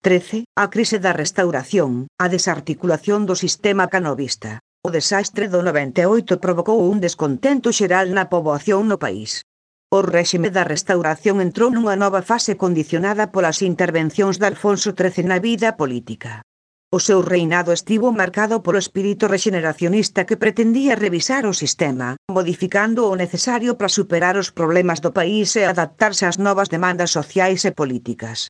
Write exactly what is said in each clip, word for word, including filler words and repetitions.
trece, a crise da restauración, a desarticulación do sistema canovista. O desastre do noventa e oito provocou un descontento xeral na poboación no país. O réxime da restauración entrou nunha nova fase condicionada polas intervencións de Alfonso trece na vida política. O seu reinado estivo marcado polo espírito rexeneracionista que pretendía revisar o sistema, modificando o necesario para superar os problemas do país e adaptarse ás novas demandas sociais e políticas.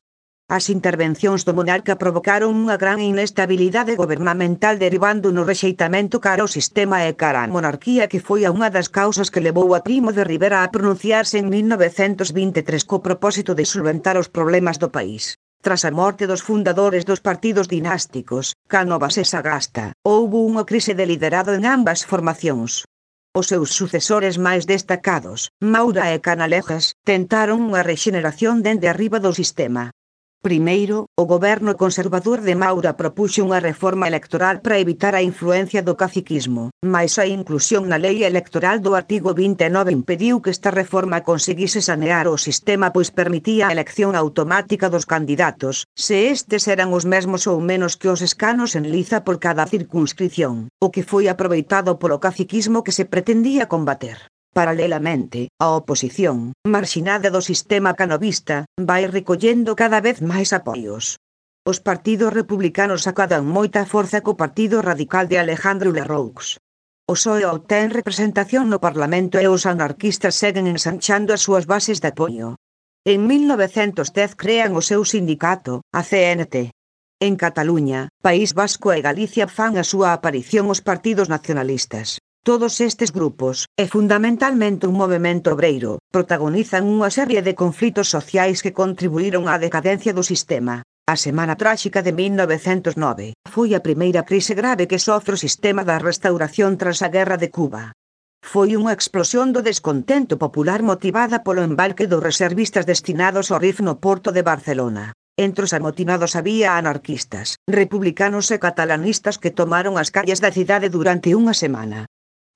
As intervencións do monarca provocaron unha gran inestabilidade gobernamental derivando no rexeitamento cara ao sistema e cara á monarquía que foi a unha das causas que levou a Primo de Rivera a pronunciarse en mil novecentos vinte e tres co propósito de solventar os problemas do país. Tras a morte dos fundadores dos partidos dinásticos, Cánovas e Sagasta, houbo unha crise de liderado en ambas formacións. Os seus sucesores máis destacados, Maura e Canalejas, tentaron unha rexeneración dende arriba do sistema. Primeiro, o goberno conservador de Maura propuxo unha reforma electoral para evitar a influencia do caciquismo, mais a inclusión na lei electoral do artigo vinte e nove impediu que esta reforma conseguise sanear o sistema pois permitía a elección automática dos candidatos, se estes eran os mesmos ou menos que os escanos en liza por cada circunscrición, o que foi aproveitado polo caciquismo que se pretendía combater. Paralelamente, a oposición, marxinada do sistema canovista, vai recollendo cada vez máis apoios. Os partidos republicanos acadan moita forza co Partido Radical de Alejandro Lerroux. O P S O E obtén representación no Parlamento e os anarquistas seguen ensanchando as súas bases de apoio. En mil novecentos dez crean o seu sindicato, a C N T. En Cataluña, País Vasco e Galicia fan a súa aparición os partidos nacionalistas. Todos estes grupos, e fundamentalmente un movemento obreiro, protagonizan unha serie de conflitos sociais que contribuíron á decadencia do sistema. A Semana Tráxica de mil novecentos nove foi a primeira crise grave que sofre o sistema da restauración tras a Guerra de Cuba. Foi unha explosión do descontento popular motivada polo embarque dos reservistas destinados ao R I F no porto de Barcelona. Entre os amotinados había anarquistas, republicanos e catalanistas que tomaron as calles da cidade durante unha semana.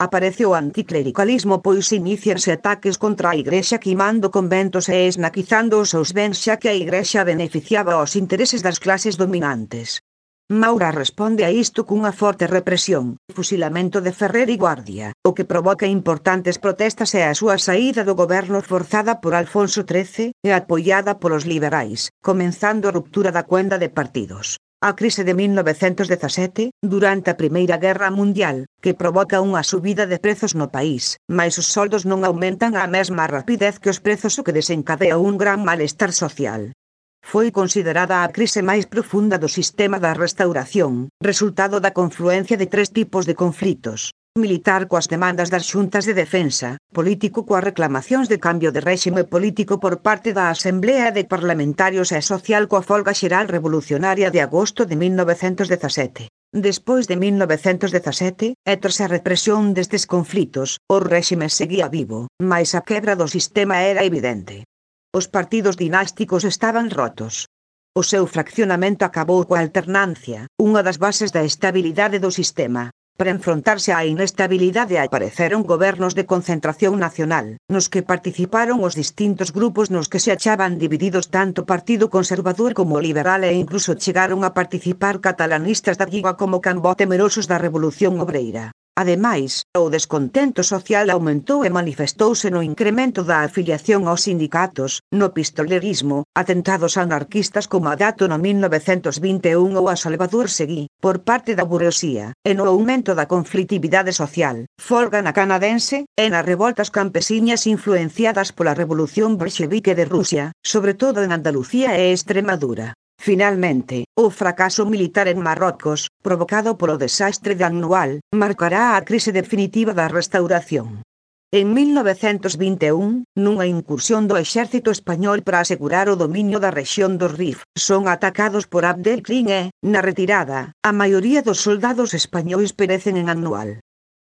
Aparece o anticlericalismo pois inicianse ataques contra a Igrexa quimando conventos e esnaquizando os seus bens xa que a Igrexa beneficiaba os intereses das clases dominantes. Maura responde a isto cunha forte represión, fusilamento de Ferrer e Guardia, o que provoca importantes protestas e a súa saída do goberno forzada por Alfonso trece e apoiada polos liberais, comenzando a ruptura da cuenda de partidos. A crise de mil novecentos dezasete, durante a Primeira Guerra Mundial, que provoca unha subida de prezos no país, mais os soldos non aumentan á mesma rapidez que os prezos o que desencadea un gran malestar social. Foi considerada a crise máis profunda do sistema da restauración, resultado da confluencia de tres tipos de conflitos: militar coas demandas das xuntas de defensa, político coas reclamacións de cambio de réxime político por parte da Asemblea de Parlamentarios e social coa folga xeral revolucionaria de agosto de mil novecentos dezasete. Despois de mil novecentos dezasete, e tras a represión destes conflitos, o réxime seguía vivo, mais a quebra do sistema era evidente. Os partidos dinásticos estaban rotos. O seu fraccionamento acabou coa alternancia, unha das bases da estabilidade do sistema. Para enfrontarse á inestabilidade apareceron gobernos de concentración nacional, nos que participaron os distintos grupos nos que se achaban divididos tanto o Partido Conservador como o Liberal e incluso chegaron a participar catalanistas da Lliga como Cambó temerosos da Revolución Obreira. Ademais, o descontento social aumentou e manifestouse no incremento da afiliación aos sindicatos, no pistolerismo, atentados anarquistas como a Dato no mil novecentos vinte e un ou a Salvador Seguí, por parte da burguesía, e no aumento da conflitividade social, folga na canadense, e nas revoltas campesiñas influenciadas pola Revolución Bolchevique de Rusia, sobre todo en Andalucía e Extremadura. Finalmente, o fracaso militar en Marrocos, provocado polo desastre de Annual, marcará a crise definitiva da restauración. En mil novecentos vinte e un, nunha incursión do exército español para asegurar o dominio da rexión do R I F, son atacados por Abdelkrim e, na retirada, a maioría dos soldados españois perecen en Annual.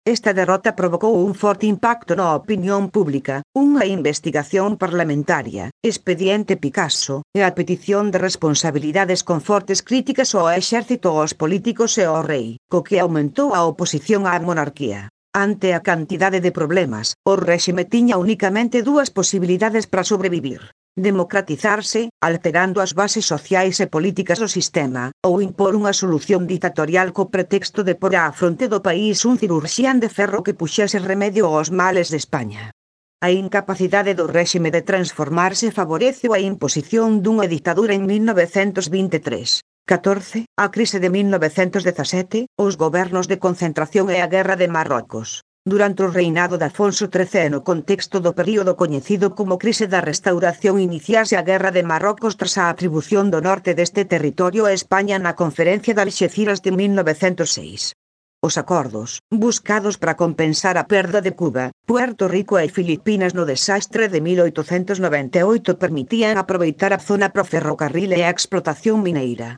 Esta derrota provocou un forte impacto na opinión pública, unha investigación parlamentaria, expediente Picasso, e a petición de responsabilidades con fortes críticas ao exército, aos políticos e ao rei, co que aumentou a oposición á monarquía. Ante a cantidade de problemas, o réxime tiña unicamente dúas posibilidades para sobrevivir: democratizarse, alterando as bases sociais e políticas do sistema, ou impor unha solución dictatorial co pretexto de por á fronte do país un cirurxián de ferro que puxese remedio aos males de España. A incapacidade do réxime de transformarse favoreceu a imposición dunha ditadura en mil novecentos vinte e tres. catorce, a crise de mil novecentos dezasete, os gobernos de concentración e a guerra de Marrocos. Durante o reinado de Afonso trece e no contexto do período coñecido como crise da Restauración iniciase a Guerra de Marrocos tras a atribución do norte deste territorio a España na Conferencia de Alxeciras de mil novecentos seis. Os acordos, buscados para compensar a perda de Cuba, Puerto Rico e Filipinas no desastre de mil oitocentos noventa e oito permitían aproveitar a zona pro ferrocarril e a explotación mineira.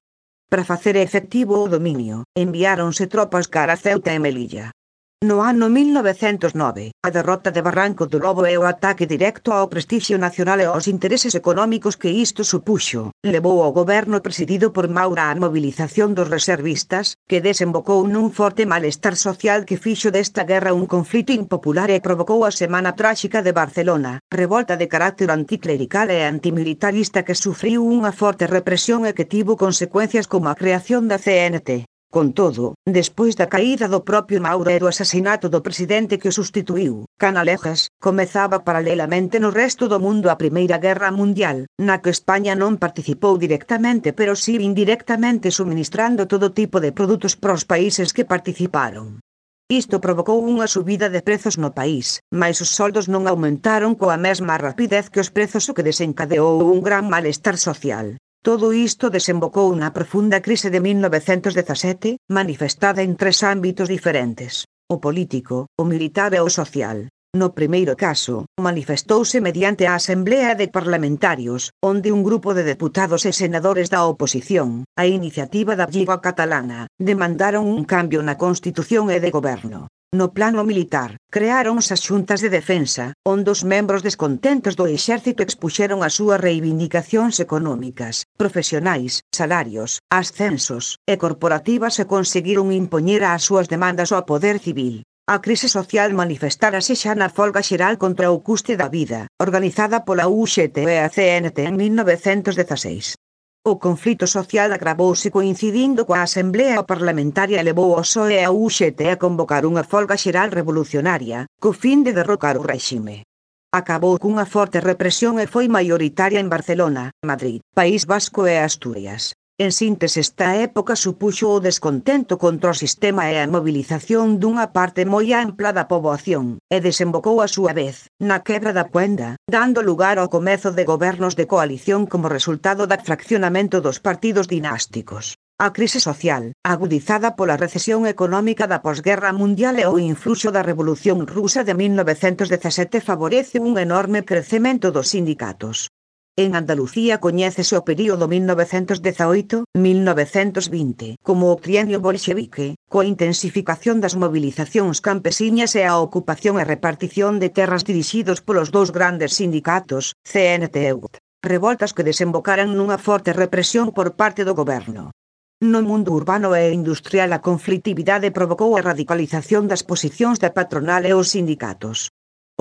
Para facer efectivo o dominio, enviáronse tropas cara a Ceuta e Melilla. No ano mil novecentos nove, a derrota de Barranco do Lobo e o ataque directo ao prestixio nacional e aos intereses económicos que isto supuxo, levou ao goberno presidido por Maura á mobilización dos reservistas, que desembocou nun forte malestar social que fixo desta guerra un conflito impopular e provocou a Semana Tráxica de Barcelona, revolta de carácter anticlerical e antimilitarista que sufriu unha forte represión e que tivo consecuencias como a creación da C N T. Con todo, despois da caída do propio Maura e do asasinato do presidente que o sustituiu, Canalejas, comezaba paralelamente no resto do mundo a Primeira Guerra Mundial, na que España non participou directamente pero si indirectamente suministrando todo tipo de produtos pros países que participaron. Isto provocou unha subida de prezos no país, mais os soldos non aumentaron coa mesma rapidez que os prezos, o que desencadeou un gran malestar social. Todo isto desembocou na profunda crise de mil novecentos dezasete, manifestada en tres ámbitos diferentes: o político, o militar e o social. No primeiro caso, manifestouse mediante a Asemblea de Parlamentarios, onde un grupo de deputados e senadores da oposición, a iniciativa da Lliga Catalana, demandaron un cambio na Constitución e de goberno. No plano militar, creáronse as xuntas de defensa, onde os membros descontentos do exército expuxeron as súas reivindicacións económicas, profesionais, salarios, ascensos e corporativas e conseguiron impoñer as súas demandas ao poder civil. A crise social manifestárase xa na folga xeral contra o custe da vida, organizada pola U X T e a C N T en mil novecentos dezaseis. O conflito social agravouse coincidindo coa Asemblea Parlamentaria e levou ao P S O E e a U X T a convocar unha folga xeral revolucionaria, co fin de derrocar o réxime. Acabou cunha forte represión e foi maioritaria en Barcelona, Madrid, País Vasco e Asturias. En síntese, esta época supuxo o descontento contra o sistema e a mobilización dunha parte moi ampla da poboación, e desembocou a súa vez, na quebra da Cuenda, dando lugar ao comezo de gobernos de coalición como resultado do fraccionamento dos partidos dinásticos. A crise social, agudizada pola recesión económica da posguerra mundial e o influxo da Revolución Rusa de mil novecentos dezasete favorece un enorme crecemento dos sindicatos. En Andalucía coñécese o período mil novecentos dezaoito a mil novecentos vinte como o trienio bolxevique, coa intensificación das movilizacións campesiñas e a ocupación e repartición de terras dirixidos polos dous grandes sindicatos, C N T e U T, revoltas que desembocaran nunha forte represión por parte do goberno. No mundo urbano e industrial a conflitividade provocou a radicalización das posicións da patronal e os sindicatos.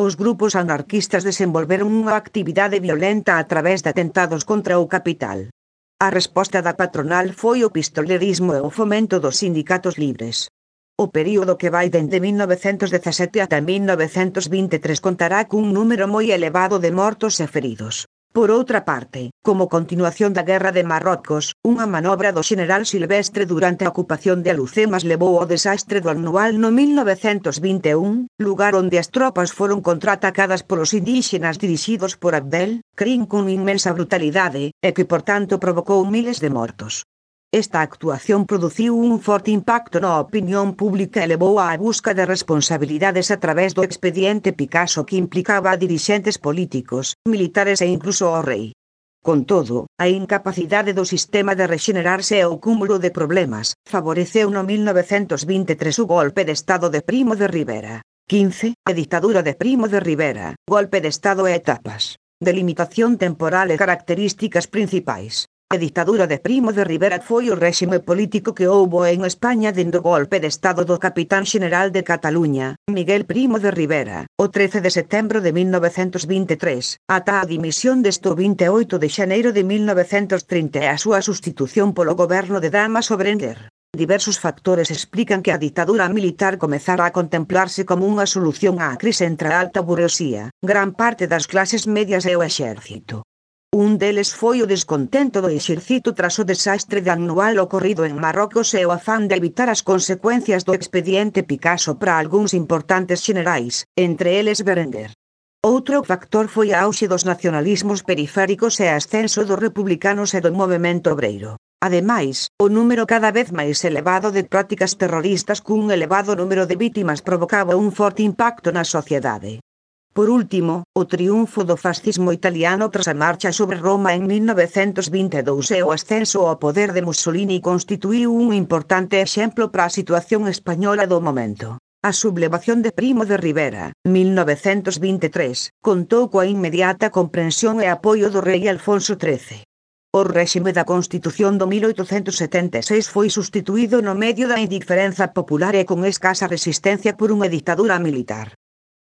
Os grupos anarquistas desenvolveron unha actividade violenta a través de atentados contra o capital. A resposta da patronal foi o pistolerismo e o fomento dos sindicatos libres. O período que vai dende mil novecentos dezasete ata mil novecentos vinte e tres contará cun número moi elevado de mortos e feridos. Por outra parte, como continuación da Guerra de Marrocos, unha manobra do xeneral Silvestre durante a ocupación de Alucemas levou ao desastre do Anual no mil novecentos vinte e un, lugar onde as tropas foron contraatacadas polos indíxenas dirixidos por Abdel Krim con inmensa brutalidade, e que por tanto provocou miles de mortos. Esta actuación produciu un forte impacto na opinión pública e levou á busca de responsabilidades a través do expediente Picasso que implicaba a dirixentes políticos, militares e incluso ao rei. Con todo, a incapacidade do sistema de rexenerarse e o cúmulo de problemas favoreceu no mil novecentos vinte e tres o golpe de Estado de Primo de Rivera. quince. A ditadura de Primo de Rivera, golpe de Estado e etapas. Delimitación temporal e características principais. A ditadura de Primo de Rivera foi o réxime político que houbo en España dende o golpe de estado do capitán xeneral de Cataluña, Miguel Primo de Rivera, o trece de setembro de mil novecentos vinte e tres, ata a dimisión deste o vinte e oito de xaneiro de mil novecentos trinta e a súa sustitución polo goberno de Dámaso Berenguer. Diversos factores explican que a ditadura militar comezara a contemplarse como unha solución á crise entre a alta burguesía, gran parte das clases medias e o exército. Un deles foi o descontento do exército tras o desastre de anual ocorrido en Marrocos e o afán de evitar as consecuencias do expediente Picasso para algúns importantes xenerais, entre eles Berenguer. Outro factor foi a auxe dos nacionalismos periféricos e a ascenso dos republicanos e do movemento obreiro. Ademais, o número cada vez máis elevado de prácticas terroristas cun elevado número de vítimas provocaba un forte impacto na sociedade. Por último, o triunfo do fascismo italiano tras a marcha sobre Roma en mil novecentos vinte e dous e o ascenso ao poder de Mussolini constituíu un importante exemplo para a situación española do momento. A sublevación de Primo de Rivera, mil novecentos vinte e tres, contou coa inmediata comprensión e apoio do rei Alfonso trece. O réxime da Constitución do mil oitocentos setenta e seis foi substituído no medio da indiferenza popular e con escasa resistencia por unha ditadura militar.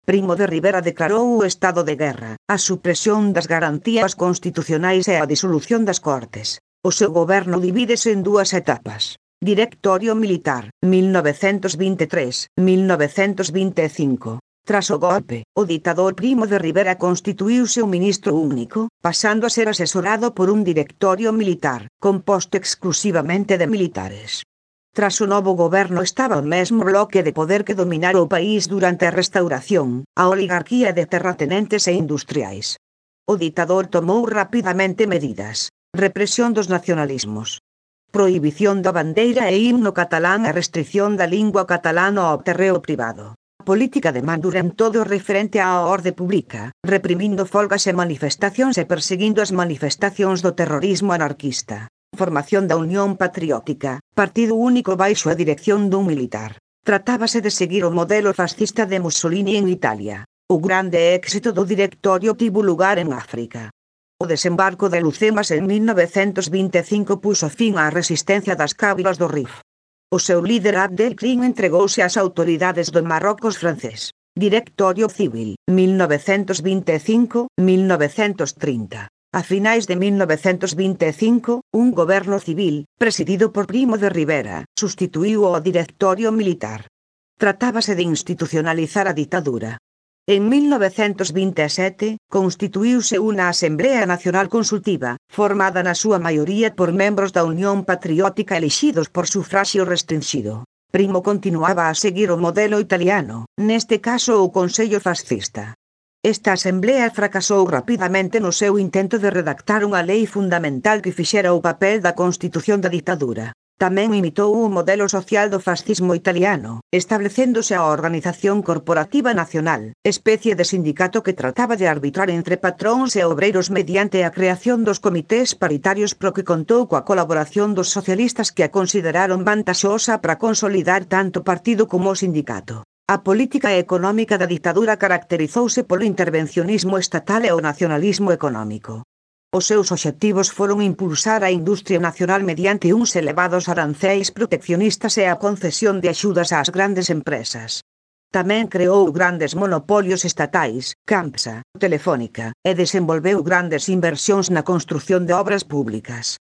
Primo de Rivera declarou o estado de guerra, a supresión das garantías constitucionais e a disolución das Cortes. O seu goberno divídese en dúas etapas. Directorio Militar, mil novecentos vinte e tres a mil novecentos vinte e cinco. Tras o golpe, o ditador Primo de Rivera constituíuse un ministro único, pasando a ser asesorado por un directorio militar, composto exclusivamente de militares. Tras o novo goberno estaba o mesmo bloque de poder que dominara o país durante a Restauración, a oligarquía de terratenentes e industriais. O ditador tomou rapidamente medidas: represión dos nacionalismos, prohibición da bandeira e himno catalán e restrición da lingua catalana ao terreo privado. Política de man dura en todo o referente á orde pública, reprimindo folgas e manifestacións e perseguindo as manifestacións do terrorismo anarquista. Formación da Unión Patriótica, partido único baixo a dirección dun militar. Tratábase de seguir o modelo fascista de Mussolini en Italia. O grande éxito do directorio tivo lugar en África. O desembarco de Lucemas en mil novecentos vinte e cinco puxo fin á resistencia das cávilas do Rif. O seu líder Abdelkrim entregouse ás autoridades do Marrocos francés. Directorio Civil, mil novecentos vinte e cinco a mil novecentos trinta. A finais de mil novecentos vinte e cinco, un goberno civil, presidido por Primo de Rivera, substituíu ao directorio militar. Tratábase de institucionalizar a ditadura. En mil novecentos vinte e sete, constituíuse unha Asamblea Nacional Consultiva, formada na súa maioría por membros da Unión Patriótica elixidos por sufraxio restrinxido. Primo continuaba a seguir o modelo italiano, neste caso o Consello Fascista. Esta asamblea fracasou rapidamente no seu intento de redactar unha lei fundamental que fixera o papel da constitución da ditadura. Tamén imitou o modelo social do fascismo italiano, establecéndose a Organización Corporativa Nacional, especie de sindicato que trataba de arbitrar entre patróns e obreiros mediante a creación dos comités paritarios pro que contou coa colaboración dos socialistas que a consideraron vantaxosa para consolidar tanto o partido como o sindicato. A política económica da ditadura caracterizouse polo intervencionismo estatal e o nacionalismo económico. Os seus obxectivos foron impulsar a industria nacional mediante uns elevados aranceis proteccionistas e a concesión de axudas ás grandes empresas. Tamén creou grandes monopolios estatais, Campsa, Telefónica, e desenvolveu grandes inversións na construción de obras públicas.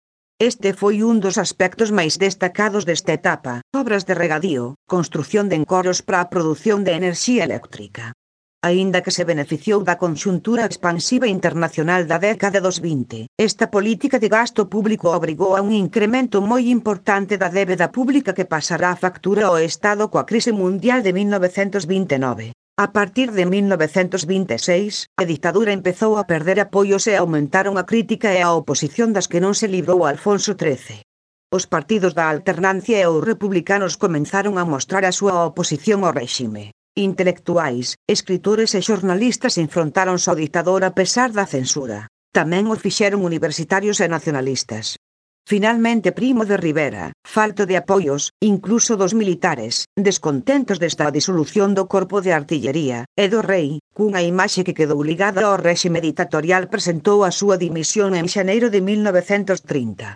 Este foi un dos aspectos máis destacados desta etapa: obras de regadío, construción de encoros para a produción de enerxía eléctrica. Aínda que se beneficiou da conxuntura expansiva internacional da década dos vinte, esta política de gasto público obrigou a un incremento moi importante da débeda pública que pasará a factura ao Estado coa crise mundial de mil novecentos vinte e nove. A partir de mil novecentos vinte e seis, a ditadura empezou a perder apoios e aumentaron a crítica e a oposición das que non se librou Alfonso trece. Os partidos da alternancia e os republicanos comenzaron a mostrar a súa oposición ao réxime. Intelectuais, escritores e xornalistas enfrontáronse ao ditador a pesar da censura. Tamén o fixeron universitarios e nacionalistas. Finalmente Primo de Rivera, falto de apoios, incluso dos militares, descontentos desta disolución do corpo de artillería, e do rei, cunha imaxe que quedou ligada ao réxime ditatorial presentou a súa dimisión en xaneiro de mil novecentos trinta.